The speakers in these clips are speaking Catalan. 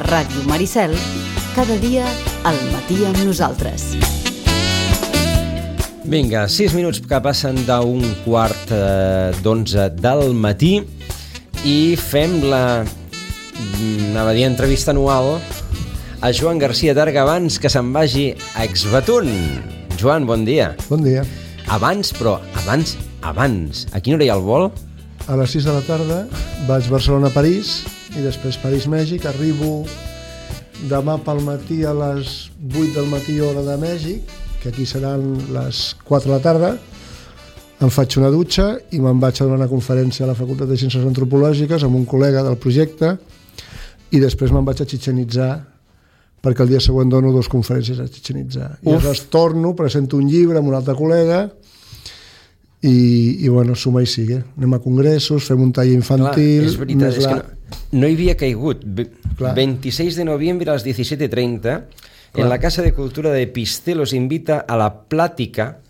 Ràdio Maricel, cada dia al matí amb nosaltres. Vinga, 6 minuts que passen d'un quart d'11 del matí i fem la, anava a dir, entrevista anual a Joan García Targa abans que se'n vagi a Exbatún. Joan, bon dia. Bon dia. Abans. A quina hora hi ha el vol? A les 6 de la tarda vaig Barcelona-París i després París-Mèxic. Arribo demà pel matí a les 8 del matí hora de Mèxic, que aquí seran les 4 de la tarda. Em faig una dutxa i me'n vaig a donar una conferència a la Facultat de Ciències Antropològiques amb un col·lega del projecte i després me'n vaig a Chichén Itzá perquè el dia següent dono 2 conferències a Chichén Itzá. I aleshores torno, presento un llibre amb un altre col·lega i bueno, suma i sigue. Anem a congressos, fem un taller infantil. Clar, és veritat, és que no hi havia caigut. 26 de noviembre a les 17:30 en la Casa de Cultura de Pisté los invita a la plàtica.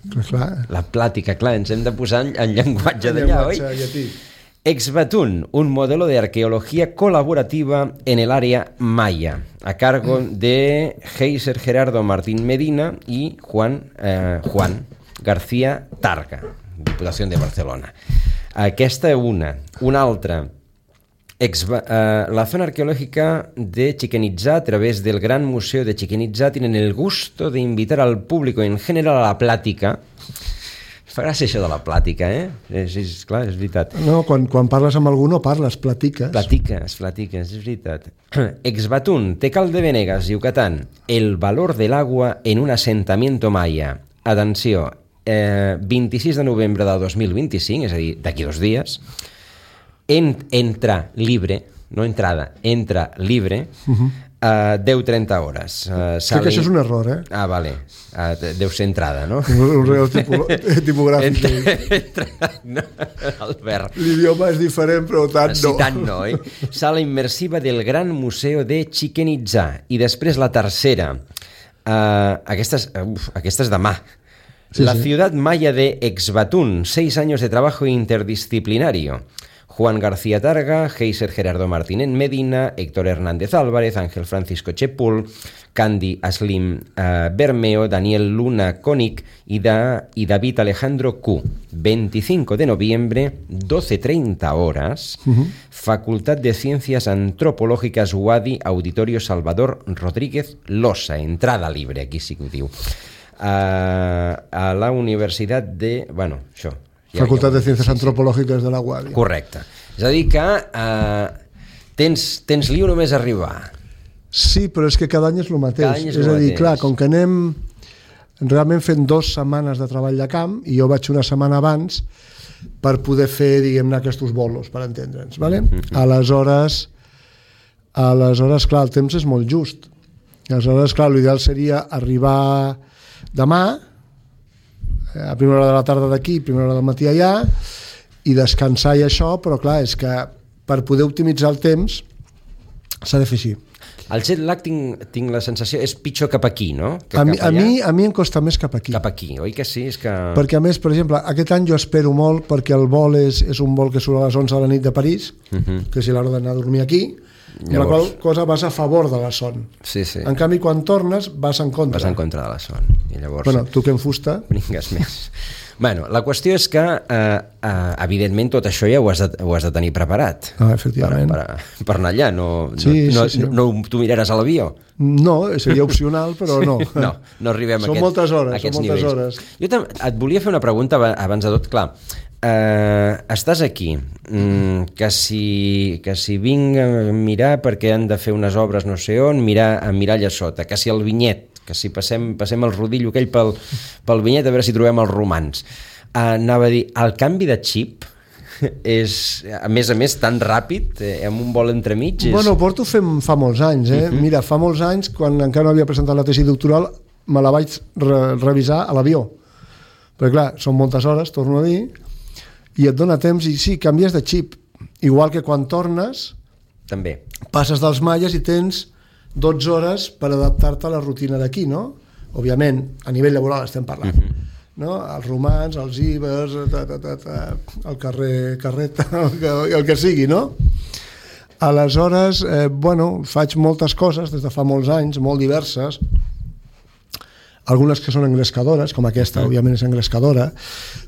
La plàtica, clar, ens hem de posar en llenguatge d'allà, oi? Exbatún, un modelo de arqueología colaborativa en el área maya, a cargo de Heiser Gerardo Martín Medina y Juan García Targa, Diputación de Barcelona. Aquesta una altra. La zona arqueológica de Chichén Itzá, a través del Gran Museo de Chichén Itzá, tienen el gusto de invitar al público en general a la plàtica. Fa gràcia això de la plàtica, Clar, és veritat. No, quan parles amb algú no parles, platiques. Platiques, és veritat. Exbatún, Tecal de Venegas, Yucatán. El valor del agua en un asentamiento maya. Atenció, 26 de novembre del 2025, és a dir, d'aquí 2 dies, entra libre, no entrada, entra libre, 10-30 hores. Crec que això és un error, vale. Deu ser entrada, no? Un real tipogràfic. No, Albert. L'idioma és diferent, però tant no. Sí, tant no, Sala immersiva del Gran Museo de Chichén Itzá. I després la tercera. Aquesta és demà. La ciudad maya de Exbatún, 6 años de trabajo interdisciplinario. Juan García Targa, Heiser Gerardo Martínez Medina, Héctor Hernández Álvarez, Ángel Francisco Chepul, Candy Aslim Bermeo, Daniel Luna Konik y David Alejandro Q. 25 de noviembre, 12:30 horas, Facultad de Ciencias Antropológicas UADY, Auditorio Salvador Rodríguez Losa, entrada libre, aquí sí que ho diu. A la Universitat de... Bueno, això... Facultat de Ciències Antropològiques de la UADY. Correcte. És a dir que tens lío només arribar. Sí, però és que cada any és el mateix. És a dir, clar, com que anem realment fent 2 setmanes de treball de camp i jo vaig una setmana abans per poder fer, diguem-ne, aquests bolos, per entendre'ns. Vale? Aleshores, clar, el temps és molt just. Aleshores, clar, l'ideal seria arribar demà, a primera hora de la tarda d'aquí, primera hora del matí allà, i descansar i això, però clar, és que per poder optimitzar el temps s'ha de fer així. El jet lag tinc la sensació és pitjor cap aquí, no? A mi em costa més cap aquí. Cap aquí, oi que sí? Perquè a més, per exemple, aquest any jo espero molt perquè el vol és un vol que surt a les 11 de la nit de París, que és l'hora d'anar a dormir aquí, amb la qual cosa vas a favor de la son. Sí. En canvi, quan tornes, vas en contra. Vas en contra de la son. I llavors... Bueno, tu que en fusta... Bringues més. Bueno, la qüestió és que, evidentment, tot això ja ho has de tenir preparat. Efectivament. Per anar allà. No t'ho miraràs a l'avió? No, seria opcional, però no. No arribem a aquests nivells. Jo et volia fer una pregunta abans de tot, clar. Estàs aquí, que si vinc a mirar perquè han de fer unes obres no sé on, mirar allà sota, que si el vinyet, que si passem el rodillo aquell pel vinyet a veure si trobem els romans. Anava a dir, el canvi de xip és, a més, tan ràpid, amb un vol entremig? Bueno, porto fent fa molts anys, Mira, fa molts anys, quan encara no havia presentat la tesi doctoral, me la vaig revisar a l'avió. Perquè clar, són moltes hores, torno a dir, i et dona temps, i sí, canvies de xip. Igual que quan tornes, també passes dels maies i tens 12 hores per adaptar-te a la rutina d'aquí, no? Òbviament, a nivell laboral estem parlant. No? Els romans, els ibers, el carrer Carreta, el que sigui, no? Aleshores, faig moltes coses des de fa molts anys, molt diverses, algunes que són engrescadores, com aquesta, òbviament és engrescadora,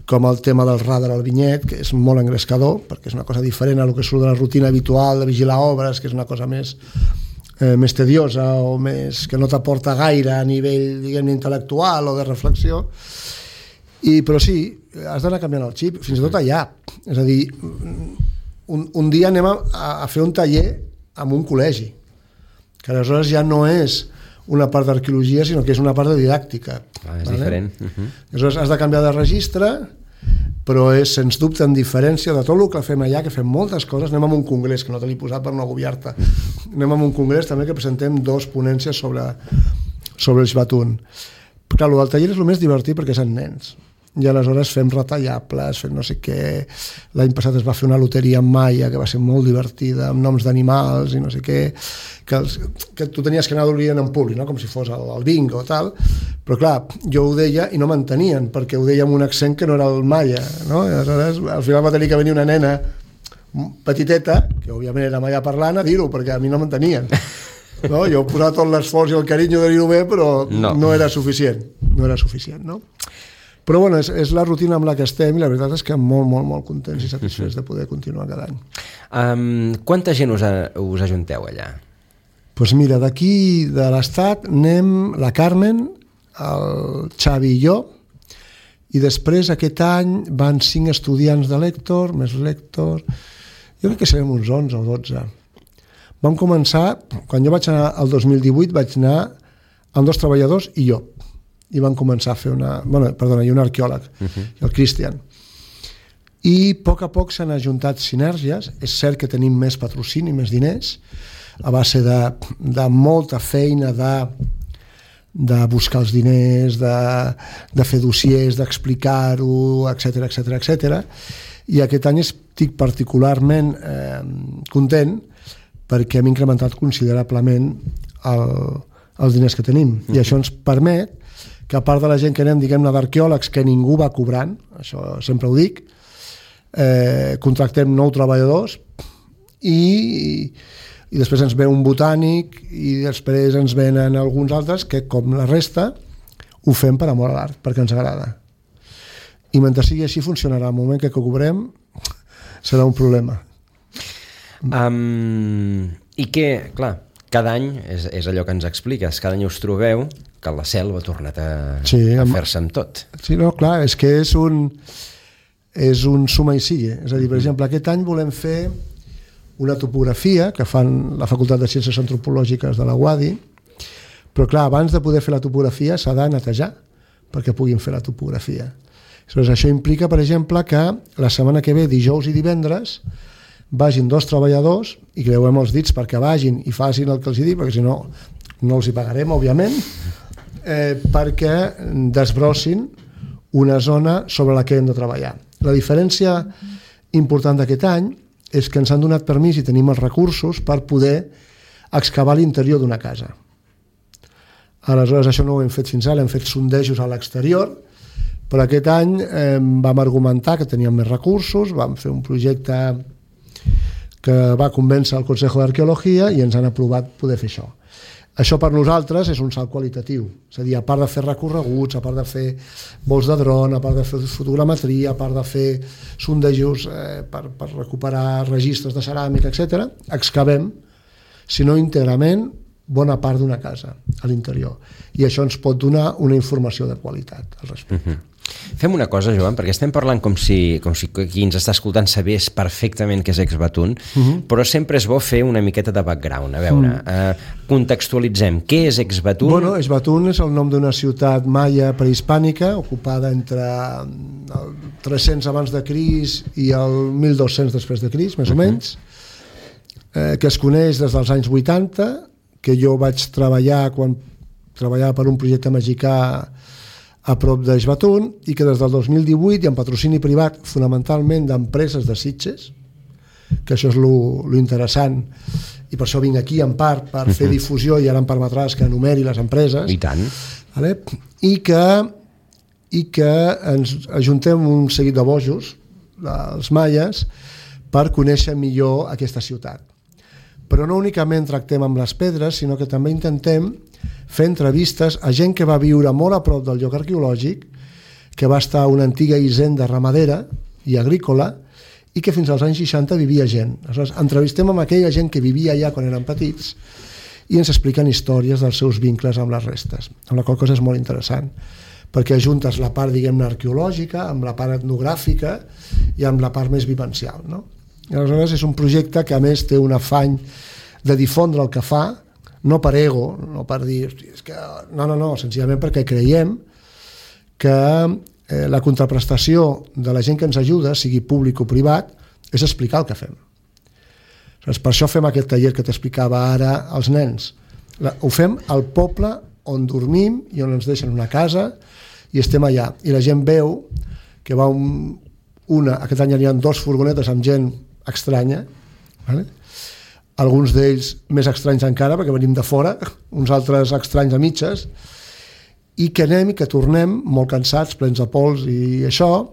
com el tema del radar al vinyet, que és molt engrescador, perquè és una cosa diferent a lo que surt de la rutina habitual de vigilar obres, que és una cosa més tediosa o més que no t'aporta gaire a nivell, diguem, intel·lectual o de reflexió. Però sí, has d'anar canviant el xip, fins i tot allà. És a dir, un dia anem a fer un taller en un col·legi, que aleshores ja no és una part d'arqueologia, sinó que és una part de didàctica. És diferent. Aleshores has de canviar de registre, però és sens dubte en diferència de tot el que fem allà, que fem moltes coses. Anem a un congrés, que no te l'he posat per no agobiar-te. Anem a un congrés també que presentem 2 ponències sobre el Ixbatún. Clar, el del taller és el més divertit perquè és en nens. I aleshores fem retallables, fem no sé què. L'any passat es va fer una loteria en maia que va ser molt divertida, amb noms d'animals i no sé què, que tu tenies que anar d'orient en públic, no? Com si fos el bingo o tal, però clar, jo ho deia i no m'entenien, perquè ho deia amb un accent que no era el maia, no? I aleshores al final va tenir que venir una nena petiteta, que òbviament era maia parlant, a dir-ho, perquè a mi no m'entenien. No? Jo posava tot l'esforç i el carinyo de dir-ho bé, però no era suficient. No era suficient, no? Però bueno, és la rutina amb la que estem i la veritat és que molt, molt, molt contents i satisfets de poder continuar cada any. Quanta gent us ajunteu allà? Doncs mira, d'aquí de l'estat anem la Carmen, el Xavi i jo, i després aquest any van 5 estudiants de Lector, més Lector, jo crec que serem uns 11 o 12. Vam començar, quan jo vaig anar al 2018, vaig anar amb 2 treballadors i jo. I van començar a fer i un arqueòleg, el Cristian. I a poc s'han ajuntat sinergies. És cert que tenim més patrocini, més diners, a base de molta feina de buscar els diners, de fer dossiers, d'explicar-ho, etc. I aquest any estic particularment content perquè hem incrementat considerablement els diners que tenim. I això ens permet que a part de la gent que anem, diguem-ne, d'arqueòlegs, que ningú va cobrant, això sempre ho dic, contractem 9 treballadors i després ens ve un botànic i després ens venen alguns altres que, com la resta, ho fem per amor a l'art, perquè ens agrada. I mentre sigui així funcionarà. El moment que cobrem serà un problema. I que, clar, cada any és allò que ens expliques, cada any us trobeu que la selva ha tornat a fer-se amb tot. Sí, no, clar, és que és un suma i sigue. És a dir, per exemple, aquest any volem fer una topografia que fan la Facultat de Ciències Antropològiques de la UADI, però clar, abans de poder fer la topografia s'ha de netejar perquè puguin fer la topografia. Aleshores, això implica, per exemple, que la setmana que ve, dijous i divendres, vagin 2 treballadors i creuem els dits perquè vagin i facin el que els dic, perquè si no, no els hi pagarem, òbviament, perquè desbrossin una zona sobre la que hem de treballar. La diferència important d'aquest any és que ens han donat permís i tenim els recursos per poder excavar l'interior d'una casa. Aleshores, això no ho hem fet fins ara, hem fet sondejos a l'exterior, però aquest any vam argumentar que teníem més recursos, vam fer un projecte que va convèncer el Consejo d'Arqueologia i ens han aprovat poder fer això. Això per nosaltres és un salt qualitatiu, és a dir, a part de fer recorreguts, a part de fer vols de dron, a part de fer fotogrametria, a part de fer sondejos per recuperar registres de ceràmica, etc., excavem, si no íntegrament, bona part d'una casa a l'interior. I això ens pot donar una informació de qualitat al respecte. Fem una cosa, Joan, perquè estem parlant com si qui ens està escoltant sabés perfectament què és Ixbatún, però sempre és bo fer una miqueta de background. A veure, contextualitzem. Què és Ixbatún? Bueno, Ixbatún és el nom d'una ciutat maia prehispànica, ocupada entre el 300 abans de Crist i el 1200 després de Crist, més o menys, que es coneix des dels anys 80, que jo vaig treballar quan treballava per un projecte mexicà a prop d'Ixbatún, i que des del 2018 i amb patrocini privat fonamentalment d'empreses de Sitges, que això és lo interessant, i per això vinc aquí en part per fer difusió, i ara em permetràs que enumeri les empreses. I tant. Vale? I que ens ajuntem un seguit de bojos, els maies, per conèixer millor aquesta ciutat. Però no únicament tractem amb les pedres, sinó que també intentem fer entrevistes a gent que va viure molt a prop del lloc arqueològic, que va estar a una antiga hisenda ramadera i agrícola, i que fins als anys 60 vivia gent. Aleshores, entrevistem amb aquella gent que vivia allà quan eren petits i ens expliquen històries dels seus vincles amb les restes, amb la qual cosa és molt interessant, perquè ajuntes la part, diguem-ne, arqueològica amb la part etnogràfica i amb la part més vivencial, no? I aleshores és un projecte que a més té un afany de difondre el que fa, no per ego, no per dir, és que... no, senzillament perquè creiem que la contraprestació de la gent que ens ajuda, sigui públic o privat, és explicar el que fem. Per això fem aquest taller que t'explicava ara als nens. Ho fem al poble on dormim i on ens deixen una casa i estem allà. I la gent veu que va aquest any hi ha 2 furgonetes amb gent estranya, vale? Alguns d'ells més estranys encara perquè venim de fora, uns altres estranys a mitges, i que anem i que tornem molt cansats, plens de pols i això,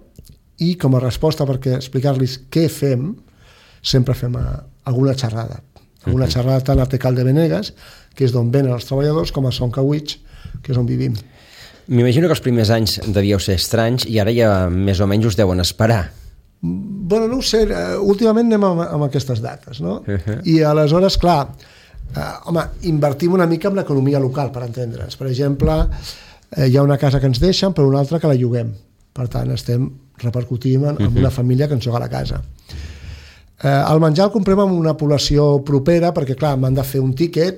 i com a resposta perquè explicar-los què fem, sempre fem alguna xerrada tant a Tecal de Benegues, que és d'on venen els treballadors, com a Son Cauich, que és on vivim. M'imagino que els primers anys devíeu ser estranys i ara ja més o menys us deuen esperar. Bueno, no ho sé, últimament anem amb aquestes dates, no? I aleshores, clar, invertim una mica en l'economia local, per entendre'ns. Per exemple, hi ha una casa que ens deixen, però una altra que la lloguem. Per tant, estem repercutint en una família que ens lloga la casa. El menjar el comprem en una població propera, perquè, clar, m'han de fer un tíquet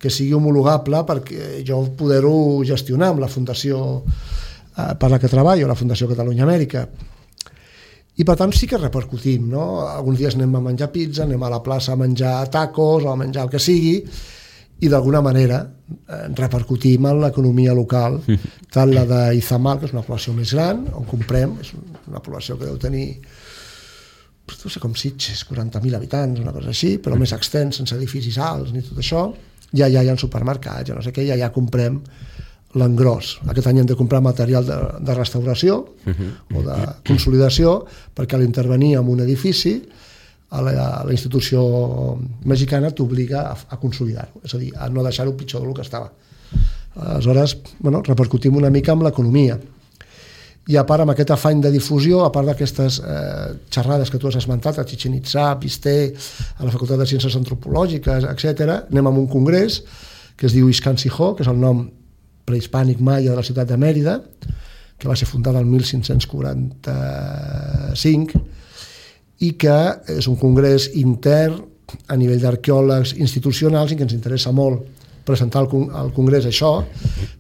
que sigui homologable perquè jo poder-ho gestionar amb la fundació per la que treballo, la Fundació Catalunya Amèrica. I per tant sí que repercutim, no? Alguns dies anem a menjar pizza, anem a la plaça a menjar tacos o a menjar el que sigui, i d'alguna manera repercutim en l'economia local, tant la d'Izamal, que és una població més gran, on comprem, és una població que deu tenir, no sé com Sitges, 40.000 habitants, una cosa així, però més extens, sense edificis alts ni tot això, ja hi ha supermercats, ja no sé què, ja comprem l'engròs. Aquest any hem de comprar material de restauració o de consolidació, perquè a l'intervenir en un edifici la institució mexicana t'obliga a consolidar-ho, és a dir, a no deixar-ho pitjor del que estava. Aleshores, repercutim una mica amb l'economia. I a part, amb aquest afany de difusió, a part d'aquestes xerrades que tu has esmentat, a Chichén Itzá, a Pisté, a la Facultat de Ciències Antropològiques, etc., anem a un congrés que es diu Ixcán Sijó, que és el nom prehispànic maia de la ciutat de Mèrida, que va ser fundada el 1545, i que és un congrés intern a nivell d'arqueòlegs institucionals i que ens interessa molt presentar al congrés això,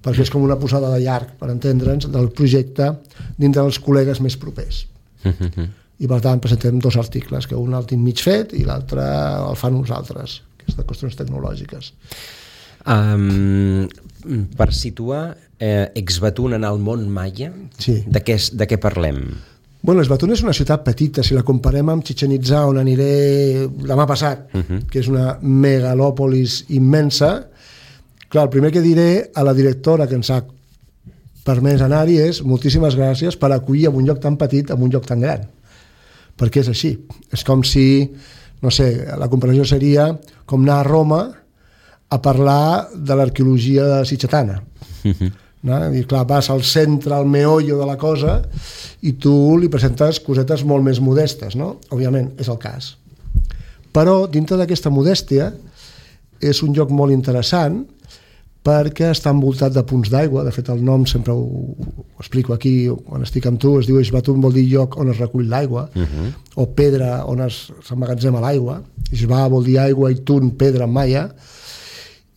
perquè és com una posada de llarg, per entendre'ns, del projecte dintre dels col·legues més propers. I per tant presentem 2 articles, que un el tinc mig fet i l'altre el fan uns altres, que és de qüestions tecnològiques. Per situar Ecbatún en el món maia, sí. De què parlem? Bueno, Ecbatún és una ciutat petita, si la comparem amb Chichén Itzá, on aniré demà passat, que és una megalòpolis immensa. Clar, el primer que diré a la directora que ens ha permès anar-hi és moltíssimes gràcies per acollir en un lloc tan petit, en un lloc tan gran. Perquè és així. És com si, no sé, la comparació seria com anar a Roma a parlar de l'arqueologia sitgetana. No? I clar, vas al centre, al meollo de la cosa, i tu li presentes cosetes molt més modestes, no? Òbviament, és el cas. Però, dintre d'aquesta modèstia, és un lloc molt interessant perquè està envoltat de punts d'aigua. De fet, el nom sempre ho explico aquí, quan estic amb tu, es diu Ecbatún, vol dir lloc on es recull l'aigua, o pedra on s'emmagatzema l'aigua. Ixbà vol dir aigua i tun, pedra en maia,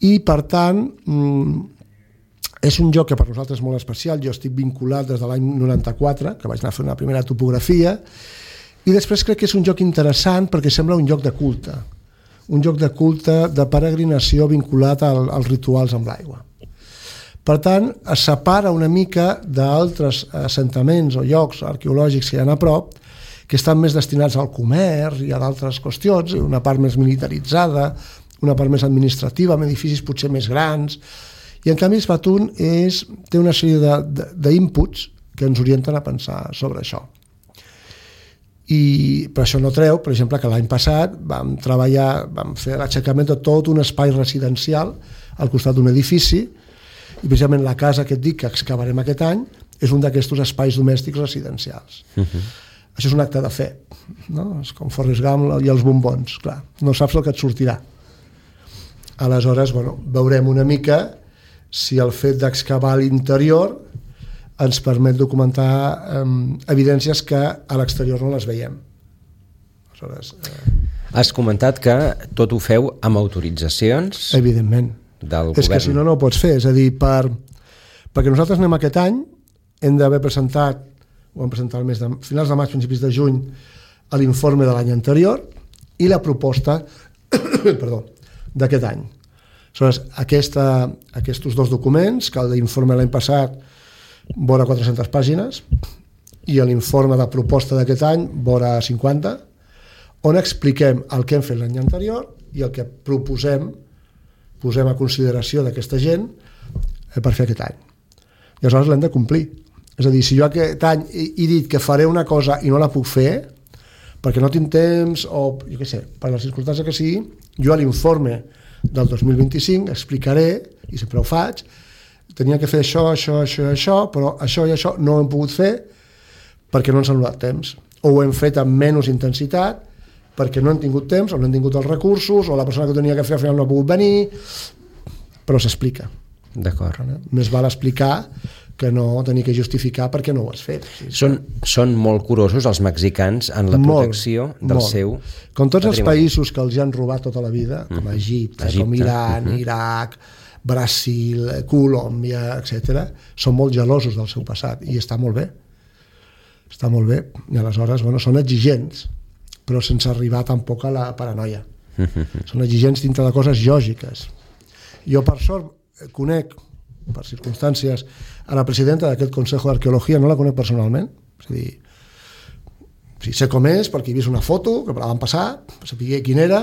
i per tant és un lloc que per nosaltres és molt especial. Jo estic vinculat des de l'any 94, que vaig anar a fer una primera topografia, i després crec que és un lloc interessant perquè sembla un lloc de culte, de peregrinació vinculat als rituals amb l'aigua. Per tant, es separa una mica d'altres assentaments o llocs arqueològics que hi ha a prop, que estan més destinats al comerç i a d'altres qüestions, una part més militaritzada, una part més administrativa, amb edificis potser més grans, i en canvi Ecbatún té una sèrie d'inputs que ens orienten a pensar sobre això. però això no treu, per exemple, que l'any passat vam fer l'aixecament de tot un espai residencial al costat d'un edifici, i precisament la casa que et dic que excavarem aquest any és un d'aquests espais domèstics residencials. Això és un acte de fe, no? És com Forrest Gump i els bombons, clar, no saps el que et sortirà. Aleshores, veurem una mica si el fet d'excavar l'interior ens permet documentar evidències que a l'exterior no les veiem. Aleshores, has comentat que tot ho feu amb autoritzacions? Evidentment. Del govern. És que si no, no ho pots fer. És a dir, perquè nosaltres anem aquest any, hem d'haver presentat, ho vam presentar finals de maig, principis de juny, l'informe de l'any anterior i la proposta d'aquest any. Aleshores, aquests dos documents, que l'informe l'any passat vora 400 pàgines i l'informe de proposta d'aquest any vora 50, on expliquem el que hem fet l'any anterior i el que posem a consideració d'aquesta gent per fer aquest any. I aleshores l'hem de complir. És a dir, si jo aquest any he dit que faré una cosa i no la puc fer perquè no tinc temps o, jo què sé, per les circumstàncies que sigui, jo a l'informe del 2025 explicaré, i sempre ho faig, tenia que fer això, però això i això no ho hem pogut fer perquè no ens han donat temps. O ho hem fet amb menys intensitat perquè no hem tingut temps, o no hem tingut els recursos, o la persona que ho tenia que fer al final no ha pogut venir, però s'explica. D'acord. Més val explicar que no tenir que justificar perquè no ho has fet. Són molt curosos els mexicans en la protecció del seu patrimoni. Com tots els països que els han robat tota la vida, com Egipte, com Iran, Iraq, Brasil, Colòmbia, etc., són molt gelosos del seu passat i està molt bé. Està molt bé. I aleshores, són exigents, però sense arribar tampoc a la paranoia. Són exigents dintre de coses lògiques. Jo, per sort, conec, per circumstàncies, a la presidenta d'aquest Consejo d'Arqueologia, no la conec personalment, és a dir, sé com és perquè he vist una foto que me la van passar, sabia quina era,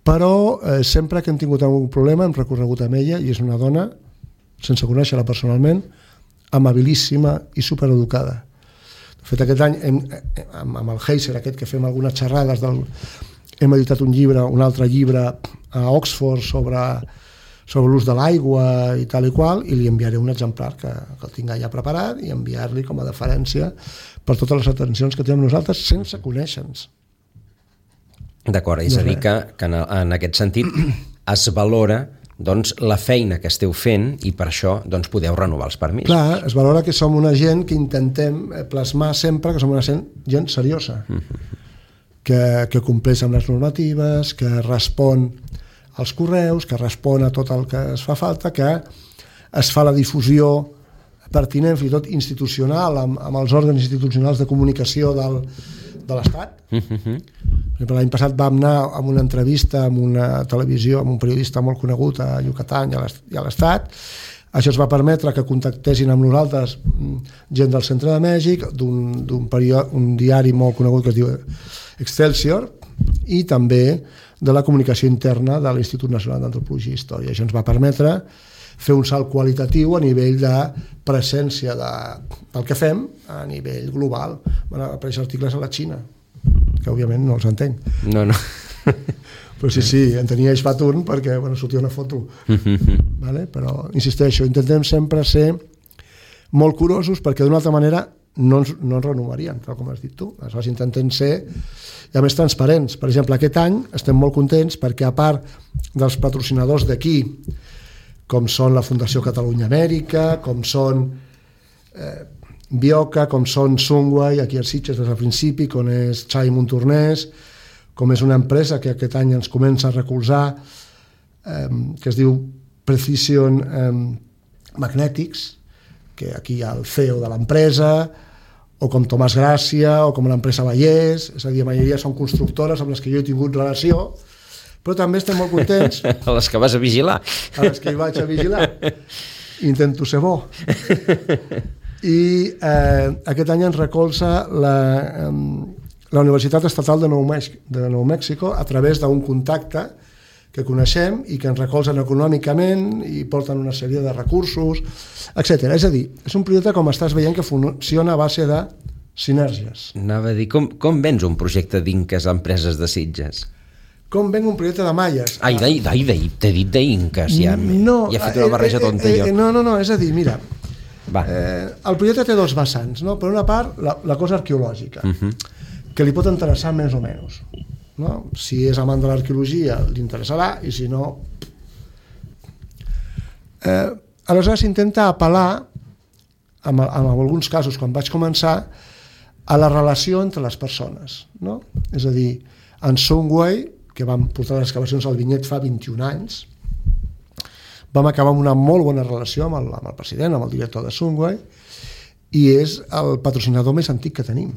però sempre que hem tingut algun problema hem recorregut amb ella i és una dona, sense conèixer-la personalment, amabilíssima i supereducada. De fet, aquest any amb el Heiser, aquest que fem algunes xerrades, hem editat un altre llibre a Oxford sobre l'ús de l'aigua i tal i qual, i li enviaré un exemplar que el tinc ja preparat i enviar-li com a deferència per totes les atencions que tenim nosaltres sense conèixer-nos. D'acord, és a dir que en aquest sentit es valora la feina que esteu fent i per això podeu renovar els permisos. Clar, es valora que som una gent que intentem plasmar sempre que som una gent seriosa, que compleix amb les normatives, que respon als correus, que respon a tot el que es fa falta, que es fa la difusió pertinent, fins i tot institucional, amb els òrgans institucionals de comunicació de l'Estat. L'any passat vam anar a una entrevista amb una televisió, amb un periodista molt conegut a Yucatán i a l'Estat. Això es va permetre que contactessin amb nosaltres gent del centre de Mèxic, d'un diari molt conegut que es diu Excelsior, i també de la comunicació interna de l'Institut Nacional d'Antropologia i Història. Això ens va permetre fer un salt qualitatiu a nivell de presència del que fem a nivell global. Van aparèixer articles a la Xina, que òbviament no els entenc. No. Però sí, en tenia Eix Baturn perquè sortia una foto. Però, insisteixo, intentem sempre ser molt curosos perquè d'una altra manera no ens renovarien, tal com has dit tu. Aleshores intentem ser a més transparents. Per exemple, aquest any estem molt contents perquè a part dels patrocinadors d'aquí, com són la Fundació Catalunya Amèrica, com són Bioca, com són Sunway, aquí a Sitges des del principi, com és Xai Montornès, com és una empresa que aquest any ens comença a recolzar, que es diu Precision Magnetics, que aquí hi ha el CEO de l'empresa, o com Tomàs Gràcia, o com l'empresa Vallès, és a dir, la majoria són constructores amb les que jo he tingut relació, però també estem molt contents. A les que vas a vigilar. A les que hi vaig a vigilar. Intento ser bo. I aquest any ens recolza la Universitat Estatal de Nou Mèxico a través d'un contacte que coneixem i que ens recolzen econòmicament i porten una sèrie de recursos, etc. És a dir, és un projecte, com estàs veient, que funciona a base de Sinergies. Anava a dir, com vens un projecte d'Inques a empreses de Sitges? Com venc un projecte de Maies? Ai, t'he dit d'Inques, ja he fet una barreja tonta jo. No, és a dir, mira, el projecte té dos vessants, no? Per una part, la cosa arqueològica, que li pot interessar més o menys. No? Si és amant de l'arqueologia, li interessarà, i si no... Aleshores s'intenta apel·lar, en alguns casos, quan vaig començar, a la relació entre les persones. No? És a dir, en Songway, que vam portar les excavacions al Vinyet fa 21 anys, vam acabar amb una molt bona relació amb el president, amb el director de Songway, i és el patrocinador més antic que tenim.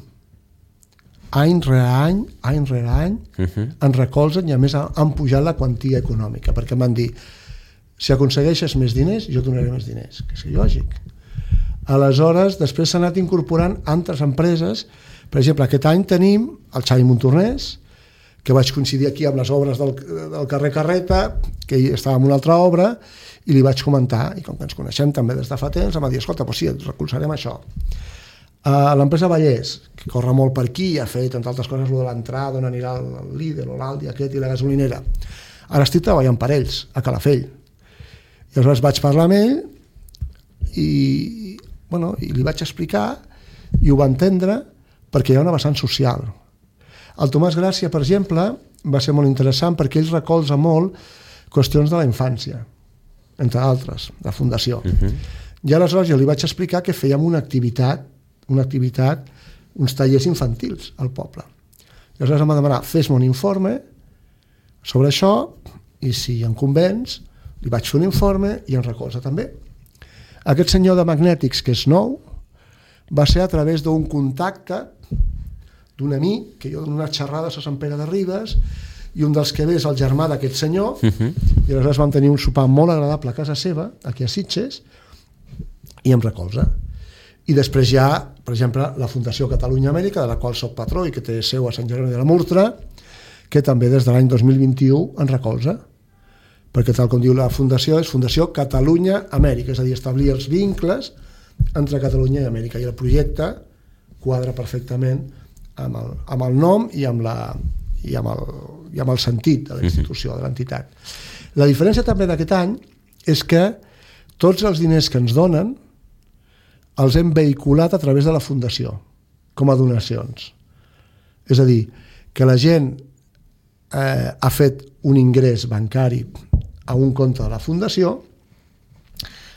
Any rere any, ens recolzen i a més han pujat la quantia econòmica, perquè em van dir, si aconsegueixes més diners, jo donaré més diners, que és lògic. Aleshores, després s'ha anat incorporant altres empreses. Per exemple, aquest any tenim el Xavi Montornès, que vaig coincidir aquí amb les obres del carrer Carreta, que ell estava en una altra obra, i li vaig comentar, i com que ens coneixem també des de fa temps, em va dir, escolta, doncs sí, et recolzarem això. L'empresa Vallès, que corre molt per aquí, ha fet, entre altres coses, de l'entrada, on anirà el Lidl o l'Aldi aquest i la gasolinera. Ara estic treballant per ells, a Calafell. I aleshores vaig parlar amb ell i li vaig explicar i ho va entendre perquè hi ha una vessant social. El Tomàs Gràcia, per exemple, va ser molt interessant perquè ell recolza molt qüestions de la infància, entre altres, de fundació. I aleshores jo li vaig explicar que fèiem una activitat, uns tallers infantils al poble. I aleshores em va demanar, fes-me un informe sobre això i si em convenç, li vaig fer un informe i em recolza també. Aquest senyor de magnètics, que és nou, va ser a través d'un contacte d'un amic, que jo dono unes xerrades a Sant Pere de Ribes, i un dels que ve és el germà d'aquest senyor, i aleshores vam tenir un sopar molt agradable a casa seva, aquí a Sitges, i em recolza. I després hi ha, per exemple, la Fundació Catalunya Amèrica, de la qual soc patró i que té seu a Sant Jeroni de la Murtra, que també des de l'any 2021 ens recolza, perquè tal com diu la fundació, és Fundació Catalunya Amèrica, és a dir, establir els vincles entre Catalunya i Amèrica, i el projecte quadra perfectament amb el nom i amb el sentit de la institució, de l'entitat. La diferència també d'aquest any és que tots els diners que ens donen els hem vehiculat a través de la fundació, com a donacions. És a dir, que la gent ha fet un ingrés bancari a un compte de la fundació,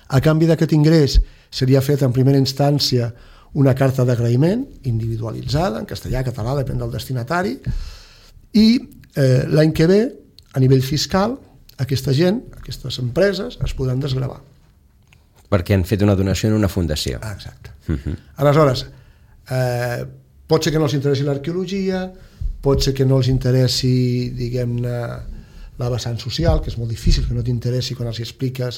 a canvi d'aquest ingrés seria fet en primera instància una carta d'agraïment individualitzada, en castellà, català, depèn del destinatari, i l'any que ve, a nivell fiscal, aquesta gent, aquestes empreses, es podran desgravar. Perquè han fet una donació en una fundació. Exacte. Aleshores, pot ser que no els interessi l'arqueologia, pot ser que no els interessi, diguem-ne, la vessant social, que és molt difícil que no t'interessi quan els expliques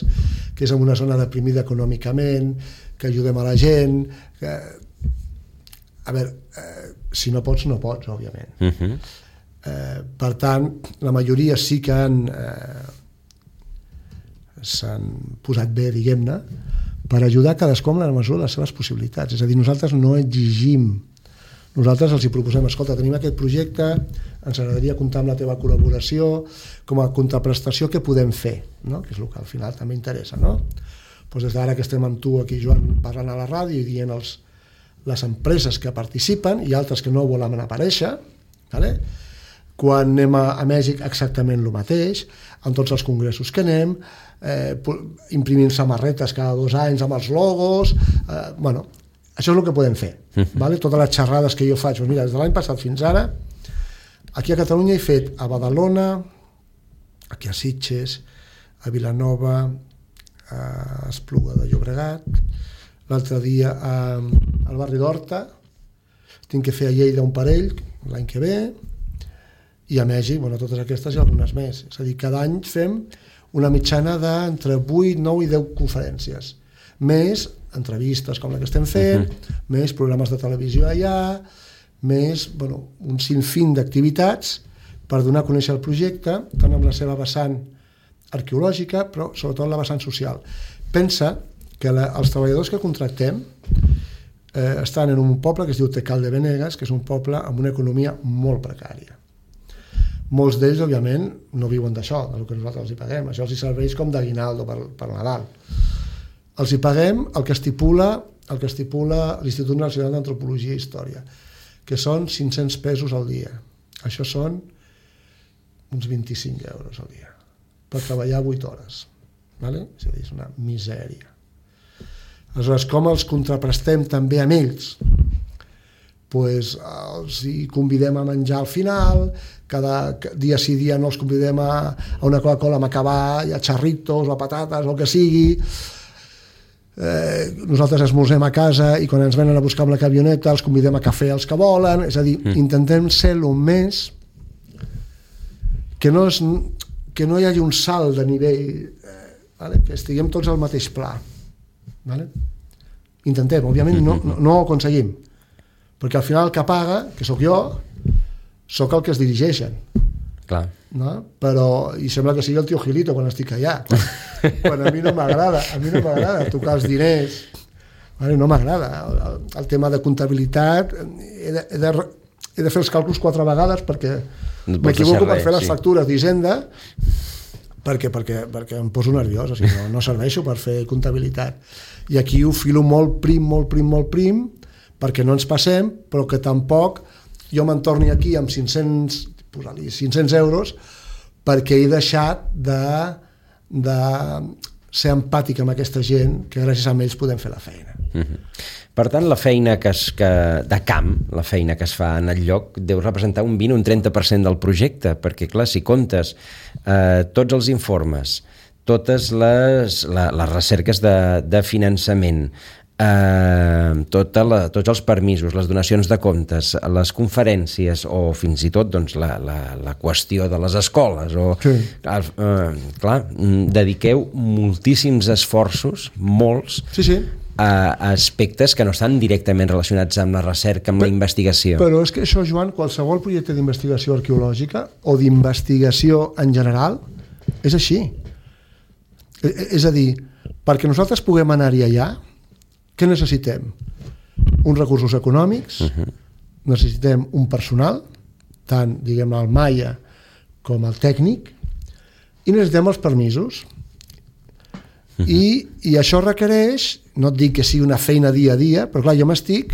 que és en una zona deprimida econòmicament, que ajudem a la gent, que... A veure, si no pots, no pots, òbviament. Per tant, la majoria sí que s'han posat bé, diguem-ne, per ajudar cadascú en la mesura de les seves possibilitats. És a dir, nosaltres no exigim, nosaltres els hi proposem, escolta, tenim aquest projecte, ens agradaria comptar amb la teva col·laboració, com a contraprestació, què podem fer? No? Que és el que al final també interessa. No? Doncs des d'ara que estem amb tu aquí, Joan, parlant a la ràdio i dient les empreses que participen i altres que no volen aparèixer, vale? Quan anem a Mèxic exactament el mateix, en tots els congressos que anem, imprimint samarretes cada 2 anys amb els logos, això és el que podem fer. Vale? Totes les xerrades que jo faig, doncs mira, des de l'any passat fins ara, aquí a Catalunya he fet a Badalona, aquí a Sitges, a Vilanova, a Espluga de Llobregat, l'altre dia al barri d'Horta, tinc que fer a Lleida un parell l'any que ve, i a Mèxic, totes aquestes i algunes més. És a dir, cada any fem una mitjana d'entre 8, 9 i 10 conferències, més entrevistes com la que estem fent, més programes de televisió allà, més un sinfín d'activitats per donar a conèixer el projecte, tant amb la seva vessant arqueològica, però sobretot la vessant social. Pensa que els treballadors que contractem estan en un poble que es diu Tecal de Benegas, que és un poble amb una economia molt precària. Molts d'ells, òbviament, no viuen d'això, del que nosaltres els hi paguem. Això els hi serveix com d'aguinaldo per Nadal. Els hi paguem el que estipula l'Institut Nacional d'Antropologia i Història, que són 500 pesos al dia. Això són uns 25 euros al dia, per treballar 8 hores. Vale? És a dir, és una misèria. Aleshores, com els contraprestem també amb ells? Pues, els hi convidem a menjar al final, cada dia sí dia no els convidem a una Coca-Cola amb acabar, a xarritos o a patates o el que sigui. Nosaltres esmorzem a casa i quan ens venen a buscar amb la camioneta els convidem a cafè els que volen, és a dir, intentem ser el més que no hi hagi un salt de nivell, vale? Que estiguem tots al mateix pla, vale? Intentem, òbviament no ho aconseguim, perquè al final el que paga, que sóc jo, sóc el que es dirigeixen. Clar. No? Però, i sembla que sigui el tio Gilito quan estic allà, quan a mi no m'agrada tocar els diners, vale? No m'agrada el tema de comptabilitat, he de fer els càlculs 4 vegades perquè m'equivoco per fer les factures d'Hisenda, perquè em poso nerviós, o sigui, no serveixo per fer comptabilitat, i aquí ho filo molt prim, perquè no ens passem, però que tampoc jo me'n torni aquí amb 500 euros perquè he deixat de ser empàtic amb aquesta gent, que gràcies a ells podem fer la feina. Per tant, la feina de camp, la feina que es fa en el lloc, deu representar un 20 o un 30% del projecte, perquè clar, si comptes tots els informes, totes les recerques de finançament, tots els permisos, les donacions de comptes, les conferències o fins i tot doncs, la qüestió de les escoles clar, dediqueu moltíssims esforços, molts, a aspectes que no estan directament relacionats amb la recerca, amb la investigació. Però és que això, Joan, qualsevol projecte d'investigació arqueològica o d'investigació en general és així. És a dir, perquè nosaltres puguem anar-hi allà, què necessitem? Uns recursos econòmics, necessitem un personal, tant, diguem-ne, el maia com el tècnic, i necessitem els permisos. I això requereix, no et dic que sigui una feina dia a dia, però clar, jo m'estic,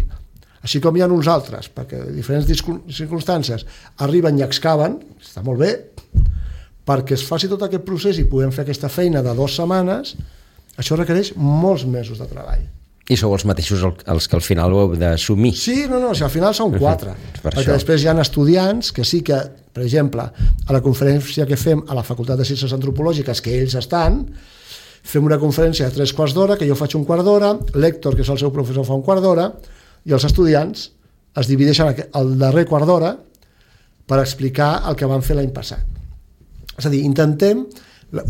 així com hi ha uns altres, perquè en diferents circumstàncies arriben i excaven, està molt bé, perquè es faci tot aquest procés i puguem fer aquesta feina de 2 setmanes, això requereix molts mesos de treball. I sou els mateixos els que al final ho heu d'assumir. Sí, no, si al final són 4. Perquè després hi ha estudiants que sí que, per exemple, a la conferència que fem a la Facultat de Ciències Antropològiques, que ells estan, fem una conferència de 3 quarts d'hora, que jo faig un quart d'hora, l'Héctor, que és el seu professor, fa un quart d'hora, i els estudiants es divideixen el darrer quart d'hora per explicar el que van fer l'any passat. És a dir, intentem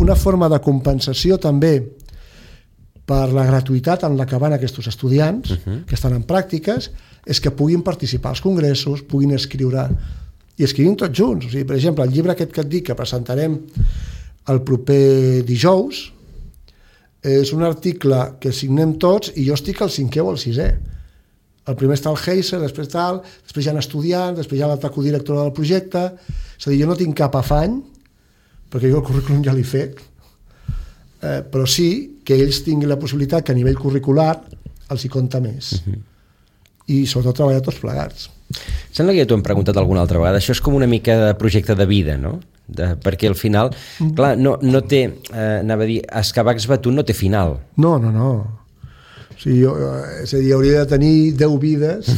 una forma de compensació també per la gratuïtat en la que van aquests estudiants que estan en pràctiques, és que puguin participar als congressos, puguin escriure, i escrivim tots junts. O sigui, per exemple, el llibre aquest que et dic que presentarem el proper dijous és un article que signem tots i jo estic al 5è o al 6è. El primer està el Heiser, després hi ha estudiants, després hi ha l'altra codirectora del projecte. És a dir, jo no tinc cap afany, perquè jo el currículum ja l'he fet, però sí que ells tinguin la possibilitat que a nivell curricular els hi compta més. I sobretot treballar tots plegats. Sembla que ja t'ho hem preguntat alguna altra vegada, això és com una mica de projecte de vida, no? Perquè al final, clar, no té, anava a dir, excavar Exbatún no té final. No. O sigui, és a dir, hauria de tenir 10 vides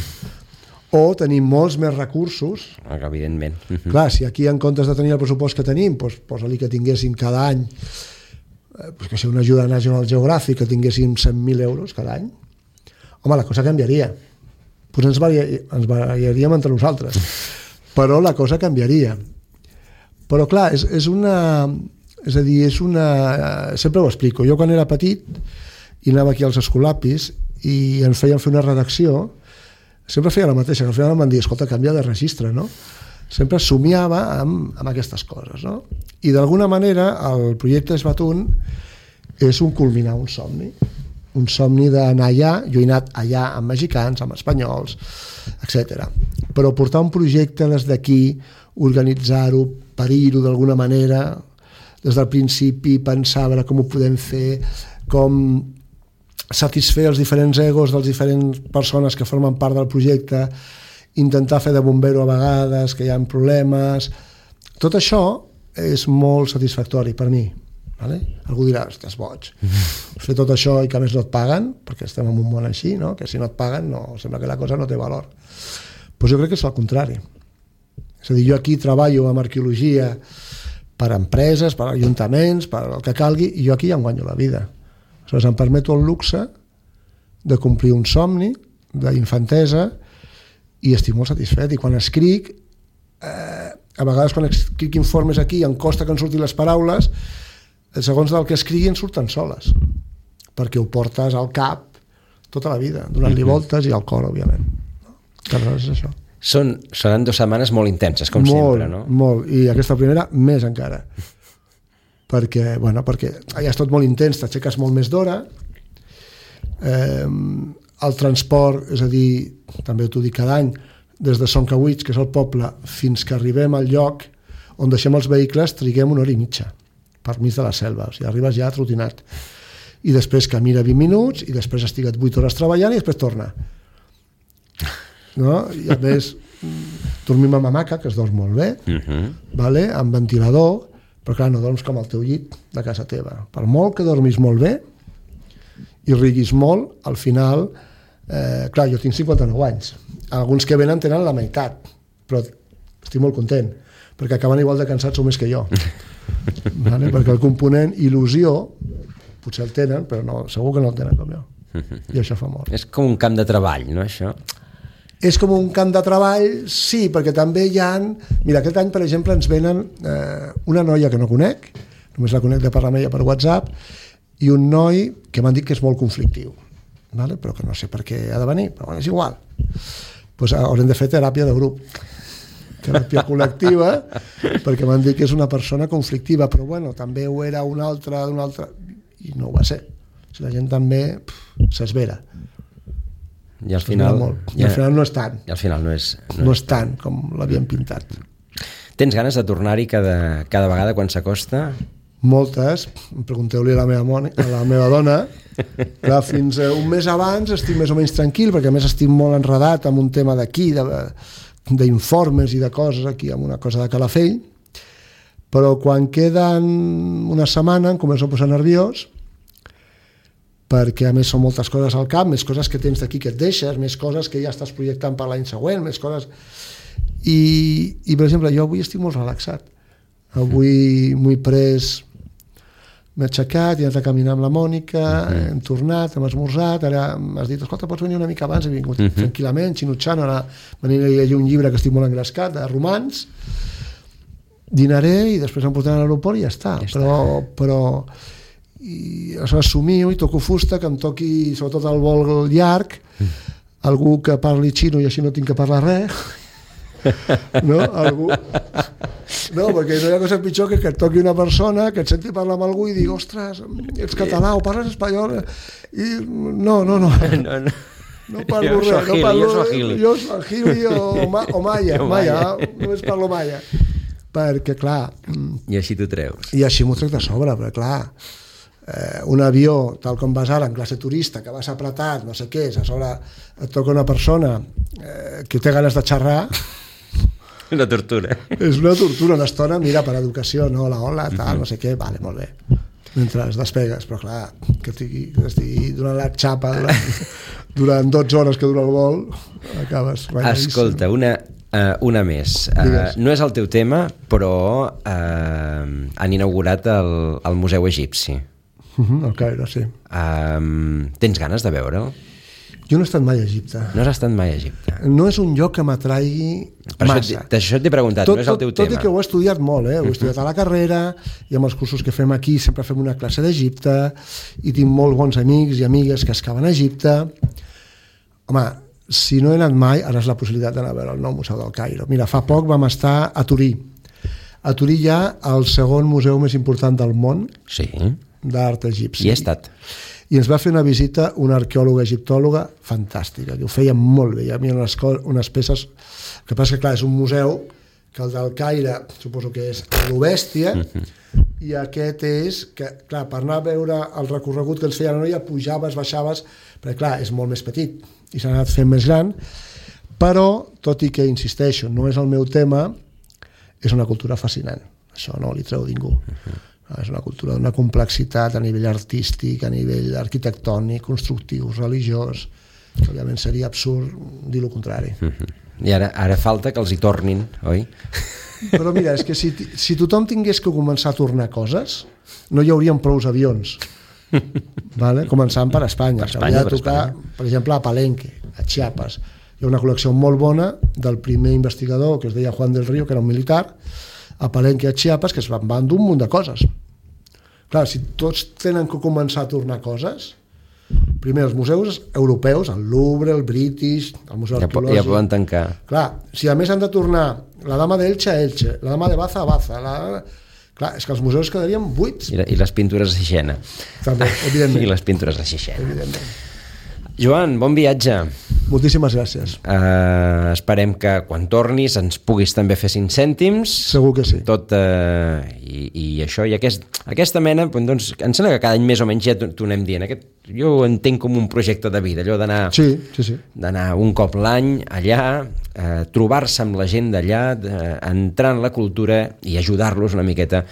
o tenir molts més recursos. Evidentment. Clar, si aquí en comptes de tenir el pressupost que tenim, posa-li que tinguéssim cada any que sigui una ajuda a National Geographic, que tinguéssim 100.000 euros cada any, home, la cosa canviaria. Pues ens variaríem entre nosaltres. Però la cosa canviaria. Però clar, és una... Sempre ho explico. Jo quan era petit i anava aquí als escolapis i ens feien fer una redacció, sempre feia la mateixa, que al final em van dir, escolta, canvia de registre, no? Sempre somiava amb aquestes coses, no? I d'alguna manera el projecte Exbatún és un culminar un somni, un somni d'anar allà. Jo he anat allà amb mexicans, amb espanyols, etc. Però portar un projecte des d'aquí, organitzar-ho, parir-ho d'alguna manera, des del principi, pensar a veure com ho podem fer, com satisfer els diferents egos de les diferents persones que formen part del projecte, intentar fer de bombero a vegades, que hi ha problemes. Tot això és molt satisfactori per mi. Vale? Algú dirà, estàs boig. Fer tot això i que a més no et paguen, perquè estem en un món així, no? Que si no et paguen sembla que la cosa no té valor. Doncs jo crec que és el contrari. És a dir, jo aquí treballo amb arqueologia per empreses, per ajuntaments, per el que calgui, i jo aquí ja em guanyo la vida. Aleshores em permeto el luxe de complir un somni d'infantesa i estic molt satisfet. I quan escric, a vegades quan escric informes aquí em costa que em surtin les paraules, segons del que escrigui en surten soles, perquè ho portes al cap tota la vida, donant-li voltes i al cor, òbviament. Aleshores és això. Seran 2 setmanes molt intenses, com sempre, no? Molt, i aquesta primera més encara. Perquè allà és tot molt intens, t'aixeques molt més d'hora, el transport, és a dir, també t'ho dic cada any, des de Son Cauits, que és el poble, fins que arribem al lloc on deixem els vehicles, triguem 1 hora i mitja per mig de la selva, o sigui, arribes ja trotinat, i després camina 20 minuts i després estigues 8 hores treballant i després torna, no? I a més dormim amb hamaca, que es dorm molt bé, vale? Amb ventilador, però clar, no dorms com al teu llit de casa teva. Per molt que dormis molt bé i riguis molt, al final, clar, jo tinc 59 anys. Alguns que venen tenen la meitat, però estic molt content, perquè acaben igual de cansats o més que jo. Vale? Perquè el component il·lusió potser el tenen, però no, segur que no el tenen com jo. I això fa molt. És com un camp de treball, no, això? És com un camp de treball, sí, perquè també hi ha... Mira, aquest any, per exemple, ens venen una noia que no conec, només la conec de parlar amb ella per WhatsApp, i un noi que m'han dit que és molt conflictiu, vale? Però que no sé per què ha de venir, però bueno, és igual. Pues haurem de fer teràpia de grup, teràpia col·lectiva, perquè m'han dit que és una persona conflictiva, però bueno, també ho era una altra, i no ho va ser. Si la gent també s'esvera. I al final no és tant. I al final no és tant com l'havien pintat. Tens ganes de tornar-hi cada vegada quan s'acosta? Moltes. Pregunteu-li a la meva dona. Clar, fins un mes abans estic més o menys tranquil, perquè a més estic molt enredat amb un tema d'aquí, d'informes i de coses aquí, amb una cosa de Calafell, però quan queden una setmana em començo a posar nerviós, perquè a més són moltes coses al cap, més coses que tens d'aquí que et deixes, més coses que ja estàs projectant per l'any següent, més coses... I per exemple, jo avui estic molt relaxat. Avui m'ho he pres... M'he aixecat, he anat a caminar amb la Mònica, hem tornat, hem esmorzat, ara m'has dit, escolta, pots venir una mica abans? He vingut tranquil·lament, xinutxant, ara m'aniré a llegir un llibre que estic molt engrescat, de romans, dinaré i després em portaran a l'aeroport i ja està. Però i assumio i toco fusta, que em toqui sobretot el vol llarg, algú que parli xino i així no tinc que parlar res, no? Algú... No, perquè no hi ha cosa pitjor que et toqui una persona que et senti parlar amb algú i digui, ostres, ets català o parles espanyol, i no parlo res, jo soy Gili o Maya, només parlo Maya, perquè clar, i així t'ho treus, i així m'ho trec de sobre, perquè clar, un avió, tal com vas ara en classe turista, que vas apretat, no sé què, a sobre et toca una persona que té ganes de xerrar, una tortura. És una tortura, una estona, mira, per educació, no, hola, tal, no sé què, vale, molt bé, mentre es despegues, però clar, que estigui donant la xapa durant 12 hores que dura el vol, acabes ratlladíssim. Escolta, una més. No és el teu tema, però han inaugurat el Museu Egipci. El Caire, sí. Tens ganes de veure'l? Jo no he estat mai a Egipte. No has estat mai a Egipte? No és un lloc que m'atraigui massa. Això t'he preguntat, no és el teu tema. Tot i que ho he estudiat molt, ho he estudiat a la carrera, i amb els cursos que fem aquí sempre fem una classe d'Egipte, i tinc molt bons amics i amigues que excaven a Egipte. Home, si no he anat mai, ara és la possibilitat d'anar a veure el nou Museu del Caire. Mira, fa poc vam estar a Turí. A Turí hi ha el segon museu més important del món, sí, d'art egipci. Hi he estat. i ens va fer una visita una arqueòloga egiptòloga fantàstica, que ho feia molt bé. Hi havia unes peces... El que passa que, clar, és un museu que el del Caire suposo que és l'Obèstia, i aquest és que, clar, per anar a veure el recorregut que ens feia la noia, pujaves, baixaves, perquè, clar, és molt més petit i s'ha anat fent més gran, però, tot i que, insisteixo, no és el meu tema, és una cultura fascinant. Això no li treu ningú. És una cultura d'una complexitat a nivell artístic, a nivell arquitectònic, constructiu, religiós, que òbviament seria absurd dir el contrari. I ara falta que els hi tornin, oi? Però mira, és que si tothom tingués que començar a tornar coses, no hi haurien prou avions. Vale? Començant per Espanya. Per Espanya, de tocar, per exemple, a Palenque, a Chiapas. Hi ha una col·lecció molt bona del primer investigador, que es deia Juan del Río, que era un militar, a Palenque, a Chiapas, que es van dur un munt de coses. Clar, si tots tenen que començar a tornar coses, primer els museus europeus, el Louvre, el British, el Museu Arqueològic... Ja poden tancar. Clar, si a més han de tornar la Dama d'Elche a Elche, la Dama de Baza a Baza, clar, és que els museus quedarien buits. I les pintures de Sixena. També, evidentment. I les pintures de Sixena. Evidentment. Joan, bon viatge. Moltíssimes gràcies. Esperem que quan tornis ens puguis també fer 5 cèntims. Segur que sí. Tot, i això, i aquesta mena, doncs, em sembla que cada any més o menys ja t'ho anem dient. Jo ho entenc com un projecte de vida, allò d'anar d'anar un cop l'any allà, trobar-se amb la gent d'allà, entrar en la cultura i ajudar-los una miqueta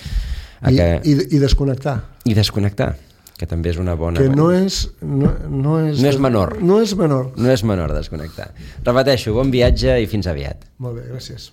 a que... I desconnectar. I desconnectar, que també és una bona... Que no és menor. No és menor. No és menor desconnectar. Repeteixo, bon viatge i fins aviat. Molt bé, gràcies.